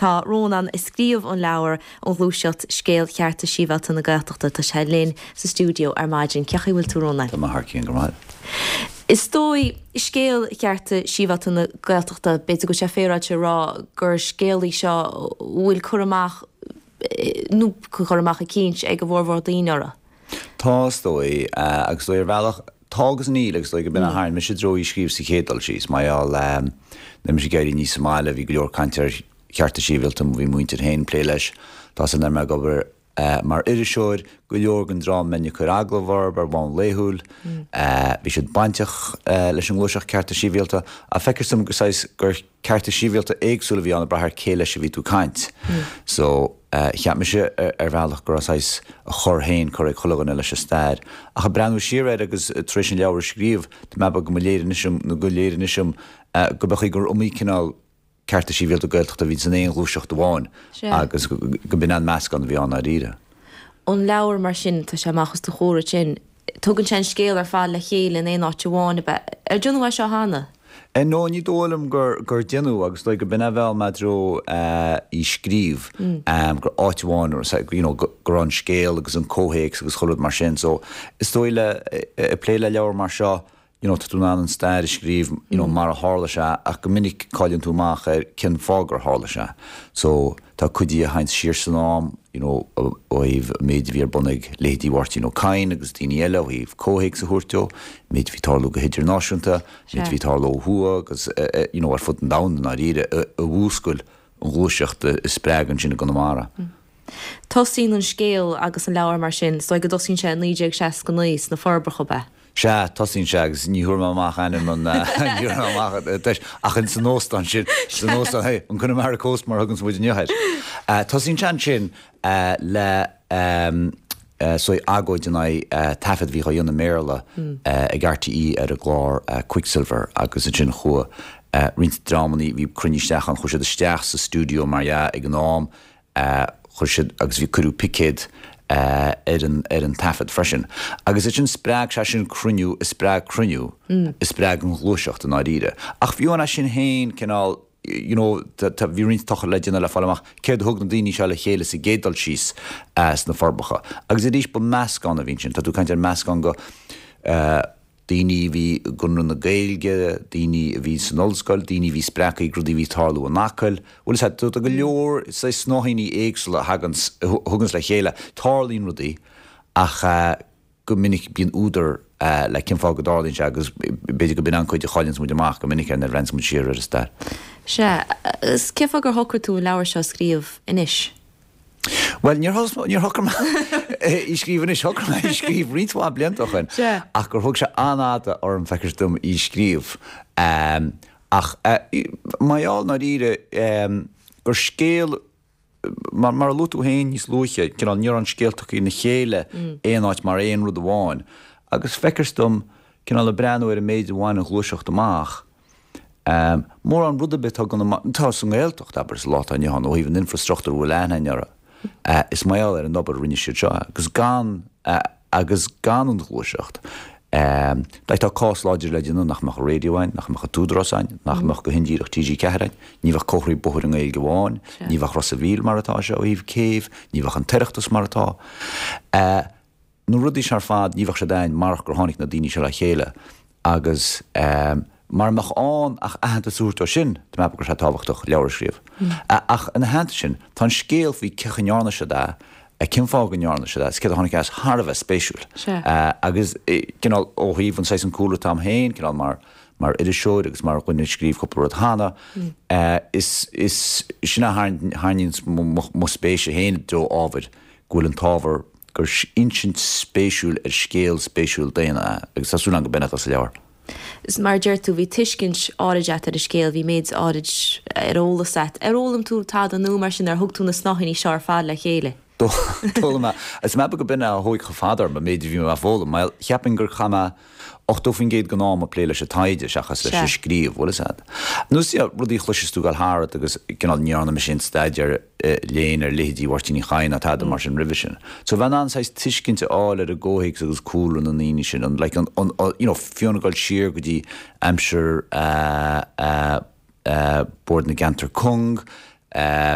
Tá Rónán, a scríobh an leabhar An Ghluaiseacht, Scéal Chearta Sibhialta na Gaeltachta, tá sé linn sa stiúideo ar maidin. Cén chaoi a bhfuil tú, Rónán? Tá mé thar cionn go maith. Is dóigh, scéal chearta sibhialta na Gaeltachta, b'fhéidir go bhfuil sé féaráilte a rá gur scéal í seo a bhfuil cur amach, nó cur amach eicínt ag a bhformhór daoine orthu. Tá, is dóigh, agus is dóigh ar bhealach, tá agus níl, agus is dóigh go b'in a tharraing mise i dtreo í scríobh sa chéad dul síos, mar gheall, nuair mise ag éirí aníos sa mbaile, bhí go leor cainte ar chearta sibhialta, bhí mo mhuintir féin ag plé leis, tá san ar mé ag obair mar iriseoir, go leor den dream a mbeinn ag cur agallamh orthu ar bhonn laethúil, bhí siad bainteach leis an ngluaiseacht cearta sibhialta, ach feictear dom go saghas gur cearta sibhialta éagsúla a bhí ann ag brath ar cé leis a bhí tú ag caint. So, cheap mise ar bhealach go raibh saghas a chor féin curtha ag chuile dhuine leis an stair. Ach ag breathnú siar air agus tar éis an leabhar a scríobh, tá mé ag ceapadh go mba léir anois dom, nó gur léir anois dom, go b'é an chaoi gur iomaí cineál cearta sibhialta Gaeltachta a bhí san aon ghluaiseacht amháin agus go b'in an meascán a bhí ann dáiríre. An leabhar mar sin, tá sé amach os do chomhair ansin, tugann sé an scéal ar fad le chéile in aon áit amháin, ab ea? Ar déanadh é seo cheana? No, ní dóigh liom gur déanadh agus is dóigh go b'in a mheall mé i dtreo í scríobh, gur áit amháin, you know, go raibh an scéal agus an comhthéacs agus chuile rud mar sin. So, is dóigh le, ag plé le leabhar mar seo, you know, tá tú in ann an stair a scríobh, you know, mar a tharla sé, ach go minic cailleann tú amach ar cén fáth gur tharla sé. So, tá cuid di a théanns siar san am, you know, ó thaobh an méid a bhí ar bun ag leithéidí Mháirtín Ó Cadhain agus daoine eile ó thaobh comhthéacs a thabhairt dó, an méid a bhí ag tarlú go hidirnáisiúnta, an méid a bhí ag tarlú ó thuaidh agus, you know, ar fud an domhain i ndáiríre, a mhúscail an ghluaiseacht a spreag ansin i gConamara. Tosaíonn an scéal agus an leabhar mar sin, is dóigh go dtosaíonn sé i 1969 sna Forbacha, ab ea? Sea, tosaíonn sé agus ní thabharfaidh mé amach ainm an, ní thabharfaidh mé amach deis, ach in san óstán sin, san óstán, hey, an Connemara Coast mar a thuganns muid inniu air. Tosaíonn sé ansin le so agóid in aghaidh taifead a bhí á dhéanamh i mBéarla ag RTÉ ar an gclár Quicksilver agus ansin chuaigh roinnt dreamanna, bhí cruinnithe isteach ann, chuaigh siad isteach sa stiúideo mar dhea ag an am, Chuir siad, agus bhí, cuireadh picéad ar an, ar an taifead freisin. Agus ansin spreag sé sin cruinniú, a spreag cruinniú, a spreag an ghluaiseacht i ndáiríre. Ach fiú amháin as sin féin, cineál, you know, tá, bhí roinnt tochailt le déanamh le fáil amach céard a thug na daoine seo le chéile sa gcéad dul síos sna Forbacha. Agus arís ba meascán a bhí ansin. Tá tú ag caint ar meascán go, daoine a bhí i gConradh na Gaeilge, daoine a bhí san ollscoil, daoine a bhí spreagtha ag rudaí a bhí ag tarlú in Acaill. Bhuel, is ea, tá go leor saghas snáithíní éagsúla a thaganns, a thuganns le chéile. Tarlaíonn rudaí ach go minic bíonn údar le cén fáth go dtarlaíonn sé agus b'fhéidir go b'in an cuid a chailleanns muid amach go minic nuair a bhreathnaíonns muid siar ar an stair. Sea, agus cén fáth gur shocraigh tú an leabhar seo a scríobh anois? Bhuel, níor níor shocraigh mé í scríobh anois, shocraigh mé í scríobh roinnt mhaith blianta ó shin, ach gur thóg sé an-fhada orm, feictear dom, í scríobh. Ach mar gheall, i ndáiríre, gur scéal, mar a luaigh tú féin níos luaithe, cineál, ní raibh an scéal tugtha ina chéile aon áit mar aon rud amháin. Agus feictear dom, cineál ag breathnú ar an méid a bhain an ghluaiseacht amach, Mórán rud ar bith atá go atá sa nGaeltacht, abair, sa lá atá inniu ann, ó thaobh an infreastruchtúir a bhfuil aithne againn orthu, is mar gheall ar an obair a rinne siad seo agus gan agus gan an ghluaiseacht, like tá cás láidir le déanamh nach mbeadh an raidió ann, nach mbeadh an tÚdarás ann, nach mbeadh go hindíreach TG4 ann, ní bheadh comharthaí bóthair i nGaeilge amháin, ní bheadh Ros a' Mhíl mar atá sé ó thaobh céibh, ní bheadh an tOireachtas mar atá. Na rudaí seo ar fad, ní bheadh siad ann marach gur tháinig na daoine seo le chéile agus mara mbeadh ann ach aitheantas a thabhairt dó sin, tá mé ag ceapadh go raibh sé tábhachtach leabhar a scríobh. Ach ina theannta sin, tá an scéal faoi cén chaoi a ndearna siad é, cén fáth go ndearna siad é, is céard a tháinig as thar a bheith spéisiúil. Agus cineál ó thaobh an saghas an cúlra atá agam féin, cineál mar mar iriseoir agus mar dhuine a scríobh cúpla rud cheana, is is sin a tharraingíonns mo spéis féin i dtreo ábhair, go bhfuil an t-ábhar gur insint spéisiúil ar scéal spéisiúil daonna é, agus tá súil agam go b'in atá sa leabhar. Is mar a deir tú, bhí tuiscint áirid a't ar an scéal, bhí méid áirid ar eolas a't. Ar fhoghlaim tú tada nua mar sin, ar thug tú na snáithíní seo ar fad le chéile? D'fhoghlaim mé. Is mé go b'in é a thóig chomh fada orm, an méid a bhí mé ag foghlaim. Mar cheapfainn gur chaith mé 80% den am ag plé leis an taighde seachas leis an scríobh, bhfuil fhios a'd. Nó is rudaí a chloiseas tú ag dul thart agus cineál ní dhearna mise aon staidéar léinn ar leithéidí Mháirtín Uí Chadhain ná tada mar sin roimhe sin. So bheith in ann saghas tuiscint a fháil ar an gcomhthéacs agus cúlra na ndaoine sin, an like an, an, you know, fiú ag dul siar go dtí aimsir eh, eh, eh, Bord na gCeantar Cúng.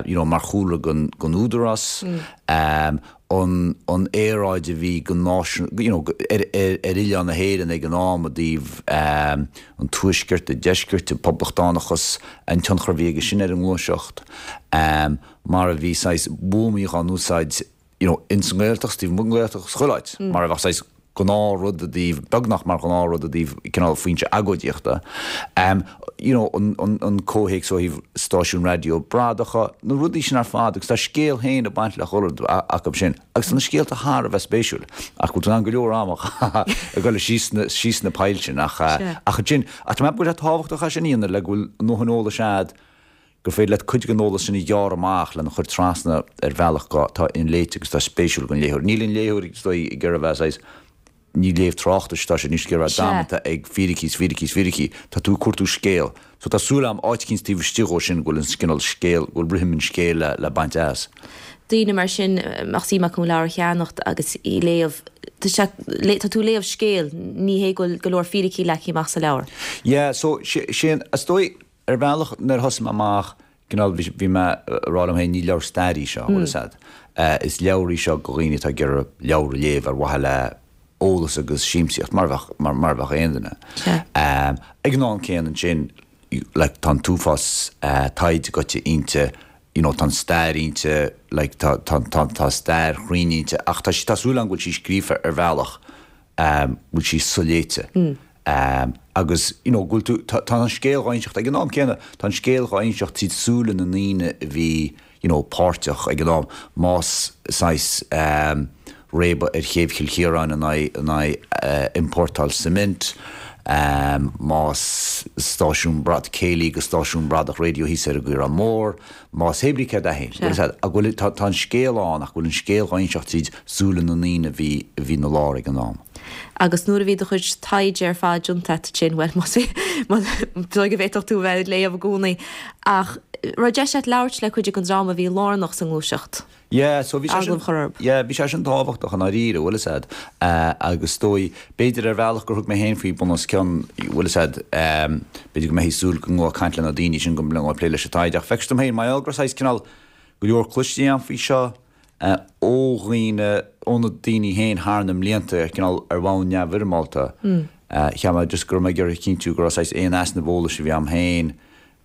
you know, mar chúlra gon, gon Údarás, an, an aeráid a bhí go náisiún, you know, ar, ar, ar oileán na hÉireann ag an am i dtaobh an tuaiscirt, an deiscirt, an poblachtánachas, an tionchar a bhí aige sin ar an ngluaiseacht, mar a bhí saghas buamaí dhá n-úsáid, you know, ins an nGaeltacht, taobh amuigh den Ghaeltacht, chuile áit, mar a bheadh saghas gnáthrud i dtaobh, beagnach mar ghnáthrud i dtaobh cineál foinse agóidíochta. You know, an, an, an comhthéacs ó thaobh stáisiún raidió bradacha, na rudaí sin ar fad agus tá scéal féin ag baint le chuile rud acu sin. Agus tá na scéalta thar a bheith spéisiúil. Ach bhfuil tú in ann go leor ama a chaitheamh ag dul síos na, síos na poill sin ach, ach ansin, ach tá mé ag ceapadh go bhfuil sé tábhachtach é sin a dhéanamh le go bhfuil a ndóthain eolais a'd gur féidir leat cuid den eolas sin a ghearradh amach lena chur trasna ar bhealach atá inléite agus atá spéisiúil don léitheoir. Níl an léitheoir, is dóigh, ag iarraidh a bheith saghas, ní léamh tráchtais atá sé, níl siad ag iarraidh a bheith damanta ag fíricí is fíricí is fíricí. Tá tú ag cuartú scéal. So tá súil agam, áit eicínt taobh istigh dhó sin, go bhfuil an cineál scéal, go bhfuil rithim an scéil le, le baint as. Daoine mar sin, mbeadh suim acu an leabhar a cheannacht agus í léamh, tá sé, tá tú ag léamh scéil, ní hé go bhfuil go leor fíricí leagtha amach sa leabhar. Yeah, so, sé, is dóigh, Ar bhealach, nuair a thosaigh mé amach, cineál, bhí mé ag rá liom féin, ní leabhar staire í seo, bhfuil fhios a'd. Is leabhar í seo do dhaoine atá ag iarraidh leabhar a léamh ar mhaithe le eolas agus siamsaíocht, mar a bheadh, mar a bheadh aon duine. Ag an am céanna ansin, like, tá an t-uafás taighde goite inti, you know, tá an stair inti, like, tá, tá, tá, tá stair chruinn inti, ach tá sí, tá súil agam go bhfuil sí scríofa ar bhealach bhfuil sí soléite agus you know go bhfuil tú, tá tá an scéal dhá inseacht ag an am céanna, tá an scéal dhá inseacht tríd súile na ndaoine a bhí you know páirteach ag an am, más saghas réabadh ar chéibh Chill Chiaráin in aghaidh in aghaidh iompórtáil cement, más stáisiún brad, céilí agus stáisiún bradach raidió thíos ar an gCaorán Mór, Más hé brí céard é féin, bhfuil fhios a'd, ach go bhfuil, tá, tá an scéal ann ach go bhfuil an scéal dhá inseacht tríd súile na ndaoine a bhí, a bhí ina lár ag an am. Agus nuair a bhí do chuid taighde ar fad déanta a't ansin, bhuel, más, má, dóigh go bhféadfadh tú a bheith ag léamh i gcónaí, ach raibh deis a't labhairt le cuid den dream a bhí lárnach sa ngluaiseacht? Yeah, so bhí sé sin, yeah, bhí sé sin tábhachtach i ndáiríre, bhfuil fhios a'd, agus is dóigh, b'fhéidir ar bhealach gur thug mé féin faoi bun os cionn, bhfuil fhios a'd, b'fhéidir go mbeifí ag súil go ngabhfá ag caint le na daoine sin go mbeifeá ag plé leis an taighde, ach feictear dom féin, mar gheall go raibh saghas cineál go leor cloiste agam faoi seo ó dhaoine, ó na daoine féin thar na mblianta, ar cineál ar bhonn neamhfhoirmeálta, cheap mé just go raibh mé ag iarraidh a chinntiú go raibh saghas aon easnamh eolais a bhí a'm féin,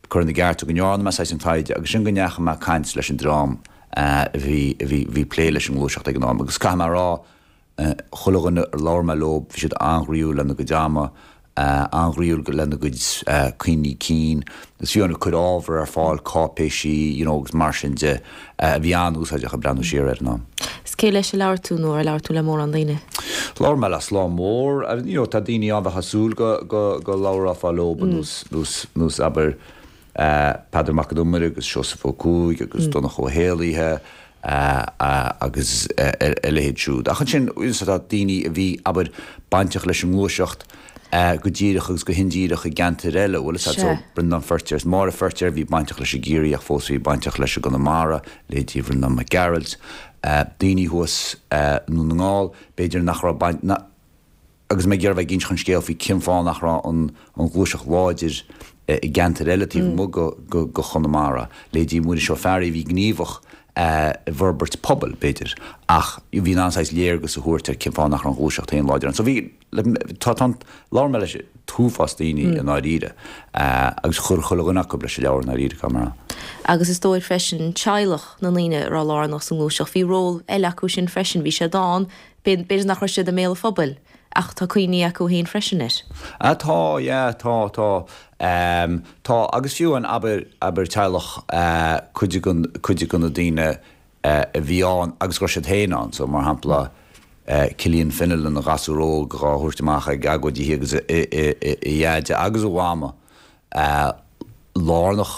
curtha ina gceart go ndearna mé saghas an taighde agus sin go ndeachaigh mé ag caint leis an dream a bhí a bhí bhí ag plé leis an ngluaiseacht ag an am agus caithfidh mé a rá chuile dhuine ar labhair mé leo bhí siad an-ghroíúil lena gcuid ama, an-ghroíúil lena gcuid cuimhní cinn is fiú ag cur ábhar ar fáil, cáipéisí you know agus mar sin de a bhí an-úsáideach ag breathnú siar air an am. Is cé leis a labhair tú nó ar labhair tú le mórán daoine? Labhair mé le slám mór, you know tá daoine ann a bheifeá ag súil go go go labhrófá leo nós nós nós abair Peadar Mac an Iomaire agus Seosamh Ó Cuaig agus Donncha Ó hÉallaithe agus a leithéid siúd. Ach ansin tá daoine a bhí abair bainteach leis an ngluaiseacht go díreach agus go hindíreach i gceantair eile, bhfuil fhios a'd, so Breandán Feirtéar is Máire Feirtéar a bhí bainteach leis i gCiarraí ach fós bhí bainteach leis i gConamara, leithéidí Bhreandán Mac Gearailt, daoine thuas i nDún na nGall, b'fhéidir nach raibh baint, agus mé ag iarraidh bheith ag inseacht an scéil faoi cén fáth nach raibh an ghluaiseacht láidir i gceantair eile taobh amuigh de Chonamara, leithéidí Muiris Ó Fearraigh a bhí gníomhach i bhforbairt pobail, b'fhéidir, ach bhí in ann saghas léargas a thabhairt ar cén fáth nach raibh an ghluaiseacht féin láidir ann. So bhí. Tá, tá, labhair mé leis an t-uafás daoine i ndáiríre agus chuir chuile dhuine acu leis an leabhar i ndáiríre, caithfidh mé a rá. Agus is dóigh freisin teaghlach na ndaoine a raibh lárnach sa ngluaiseacht, bhí ról eile acu sin freisin, bhí siad ann, b'fhéidir nach raibh siad i mbéal an phobail ach tá cuimhní acu féin freisin air. Ah tá, yeah, tá, tá. Tá, agus fiú an, abair, abair teaghlach cuid de, cuid de na daoine a bhí ann agus go raibh siad féin ann. So, mar shampla, Killian Fennell ina ghasúr óg dhá thabhairt amach ag agóidí agus a dheaide agus a mhama lárnach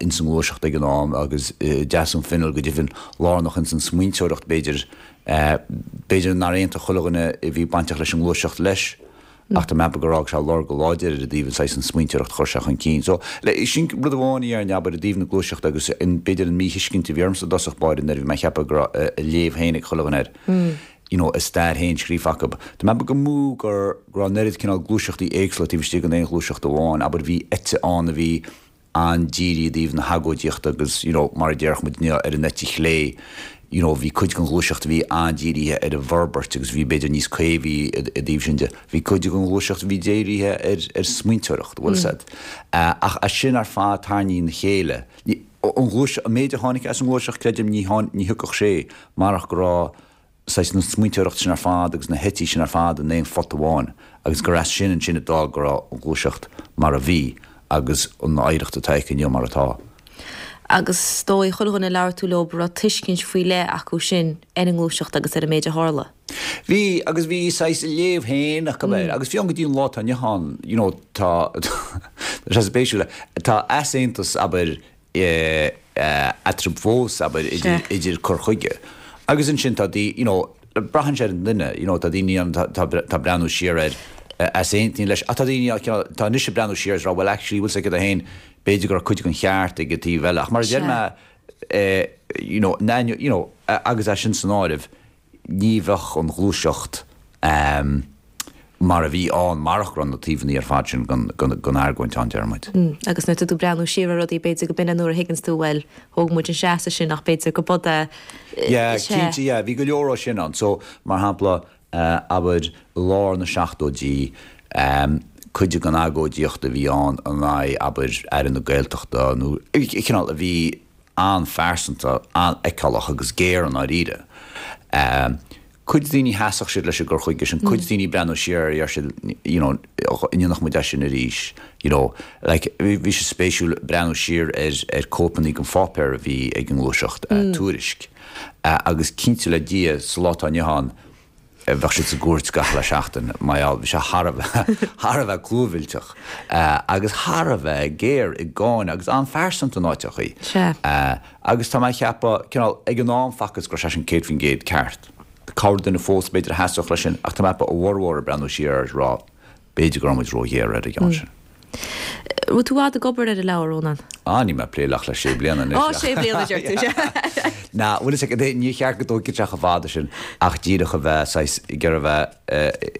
ins an ngluaiseacht ag an am agus Deasún Fennell go deimhin lárnach ins an smaointeoireacht b'fhéidir. B'fhéidir nár aontaigh chuile dhuine a bhí bainteach leis an ngluaiseacht leis. Ach tá mé ag ceapadh gur fhág sé lorg láidir air i dtaobh an saghas an smaointeoireacht a chuir sé chun cinn. So, le, sin rud amháin a dhéarfainn, abair, i dtaobh na gluaiseachta agus an, b'fhéidir an míthuiscint a bhí ormsa i dtosach báire nuair a bhí mé ag ceapadh go raibh a léamh féin ag chuile dhuine air, you know, a stair féin scríofa acu. Tá mé ag ceapadh go mb'fhiú gur, go raibh an oiread cineál gluaiseachtaí éagsúla taobh istigh den aon ghluaiseacht amháin, abair, bhí eite ann a bhí. an-dírithe i dtaobh na hagóidíochta agus, you know, mar a déarfadh muid inniu, ar an eite chlé, you know, bhí cuid den ghluaiseacht a bhí an-dírithe ar an bhforbairt agus bhí b'fhéidir níos caomhaí i dtaobh sin de. Bhí cuid den ghluaiseacht a bhí dírithe ar, ar smaointeoireacht, bhfuil 'fhios a'd. Ach as sin ar fad tarraingthe ina chéile, ní, an ghluaiseacht, an méid a tháinig as an ngluaiseacht, creidim, ní tháinig, ní thiocfadh sé marach go raibh, saghas na smaointeoireacht sin ar fad agus na heití sin ar fad in aon phota amháin agus gur as sin ansin a d'fhág go raibh an ghluaiseacht mar a bhí agus an oidhreacht atá aici inniu mar atá. Agus is dóigh, chuile dhuine a labhair tú leo, go raibh tuiscint faoi leith acu sin ar an ngluaiseacht agus ar an méid a tharla. Bhí, agus bhí saghas a léamh féin acu air agus fiú go dtí an lá atá inniu ann, you know, tá, tá sé spéisiúil, tá easaontas, abair, eatarthu fós, abair, idir cur chuige. Agus ansin tá daoine, you know, braitheann sé ar an duine, you know, tá daoine ann atá ag breathnú siar air a easaontaíonn leis, ach tá daoine ann atá anois ag breathnú siar is ag rá, well actually, bhfuil 's agat féin, b'fhéidir go raibh cuid den cheart ag an taobh eile. Ach mar a deir mé, you know, you know, agus é sin san áireamh, ní bheadh an ghluaiseacht mar a bhí ann marach go raibh na taobhanna ar fad sin den argóint ann, deir muid. Agus nuair atá tú ag breathnú siar ar rudaí, b'fhéidir go b'in é nuair a thuigeanns tú, bhuel, thóg muid an seasamh sin ach b'fhéidir go b'fhada é. Yeah, cinnte, yeah, bhí go leor ó sin ann. So, mar shampla, abair, i lár na seachtóidí, cuid den agóidíocht a bhí ann in aghaidh, abair, Aire na Gaeltachta nó cineál a bhí, an-phearsanta, an-fheiceálach agus géar i ndáiríre. Cuid daoine sheasfadh siad leis an gcur chuige sin, cuid daoine ag breathnú siar air deir siad you know an ndéanfadh muid é sin arís you know. Like bhí sé spéisiúil breathnú siar ar ar cóipeanna den pháipéar a bhí ag an ngluaiseacht, Tuairisc, agus cinnte le Dia sa lá atá inniu ann, Bheadh siad sa gcúirt gach uile seachtain, mar gheall, bhí sé thar a bheith, thar a bheith clúmhillteach agus thar a bheith géar i gcáineadh agus an-phearsanta in áiteachaí. Sea. Agus tá mé ag ceapadh, cineál, ag an am facthas go raibh sé sin 100% ceart. Corrdhuine fós b'fhéidir a sheasfadh leis sin ach tá mé ag ceapadh a bhformhór ag breathnú siar air is ag rá, B'fhéidir go raibh muid róghéar ar an gceann sin. Raibh tú i bhfad ag obair ar an leabhar, Rónán? Ah, níl mé ag plé ach le sé bliana anois. Á, sé bliana, deir tú, sea. Ná, bhuel, is ea, ní cheart go dtógfadh sé chomh fada sin ach díreach a bheith saghas ag iarraidh a bheith,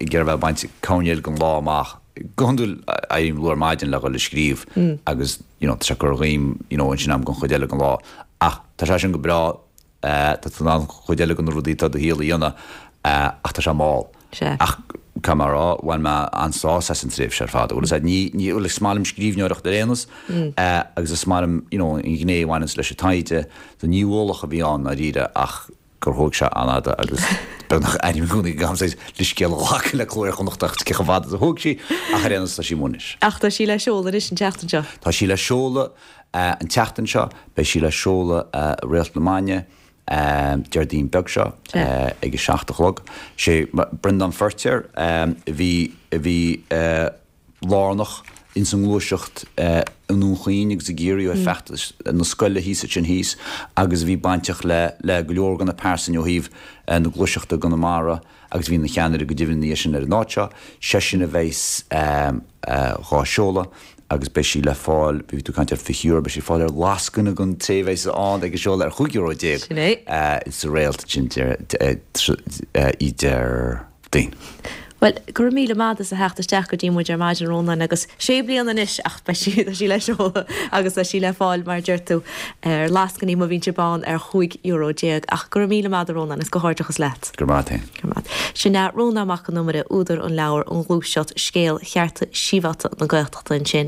ag iarraidh a bheith ag baint coirnéal den lá amach. Go hiondúil, éirím luath ar maidin le dhul ag scríobh agus, you know, tá sé ag cur dhíom, you know, ansin am don chuid eile den lá. Ach tá sé sin go breá. Tá tú in ann cuid eile de na rudaí atá i do shaol a dhéanamh ach tá sé mall. Sea. Ach caithfidh mé a rá, bhain mé an-sásamh as an tréimhse ar fad. Bhuel, is ea, ní, ní, bhuel, is maith liom scríbhneoireacht ar aon nós agus is maith liom, you know, an ghné a bhaineanns leis an taighde. So ní ualach a bhí ann ndáiríre ach gur thóg sé an-fhada agus beagnach airím i gcónaí go gcaithfidh mé leithscéal a ghlacadh le Cló Iar-Chonnacht ach cé chomh fada is a thóg sí ach ar aon nós tá sí amuigh anois. Ach tá sí le seoladh anois an tseachtain seo. Tá sí le seoladh. An tseachtain seo, beidh sí le seoladh i Réalt na Maidne, Déardaoin beag seo, ag a seacht a chlog. Sé Breandán Feirtéar a bhí a bhí lárnach ins an ngluaiseacht i nDún Chaoin agus i gCiarraí ó thaobh feachtas na scoile thíos ansin thíos agus a bhí bainteach le le go leor de na pearsain ó thaobh na gluaiseachta i gConamara agus a bhí ina cheannaire go deimhin ina dhiaidh sin ar an áit seo. Seisean a bheas dhá seoladh. agus beidh sí le fáil, bhí tú ag caint ar €20, beidh sí le fáil ar lascaine don té a bheas ann ag an seoladh ar €15 euro Sin é. sa Réalt sin i Déardaoin. Bhuel, go raibh míle maith agat as a theacht isteach go dtí muid ar maidin, Rónán, agus sé bliana anois ach beidh sí, tá sí le seoladh agus tá sí le fáil, mar a deir tú, ar lascainí má bhíonn sibh ann ar €15 euro. Ach go raibh míle maith agat, a Rónán, agus comhghairdeachas leat. Go raibh maith agat féin. Go raibh maith agat. Sin é Rónán Mac Con Iomaire, údar an leabhair An Ghluaiseacht, Scéal Chearta Sibhialta na Gaeltachta ansin.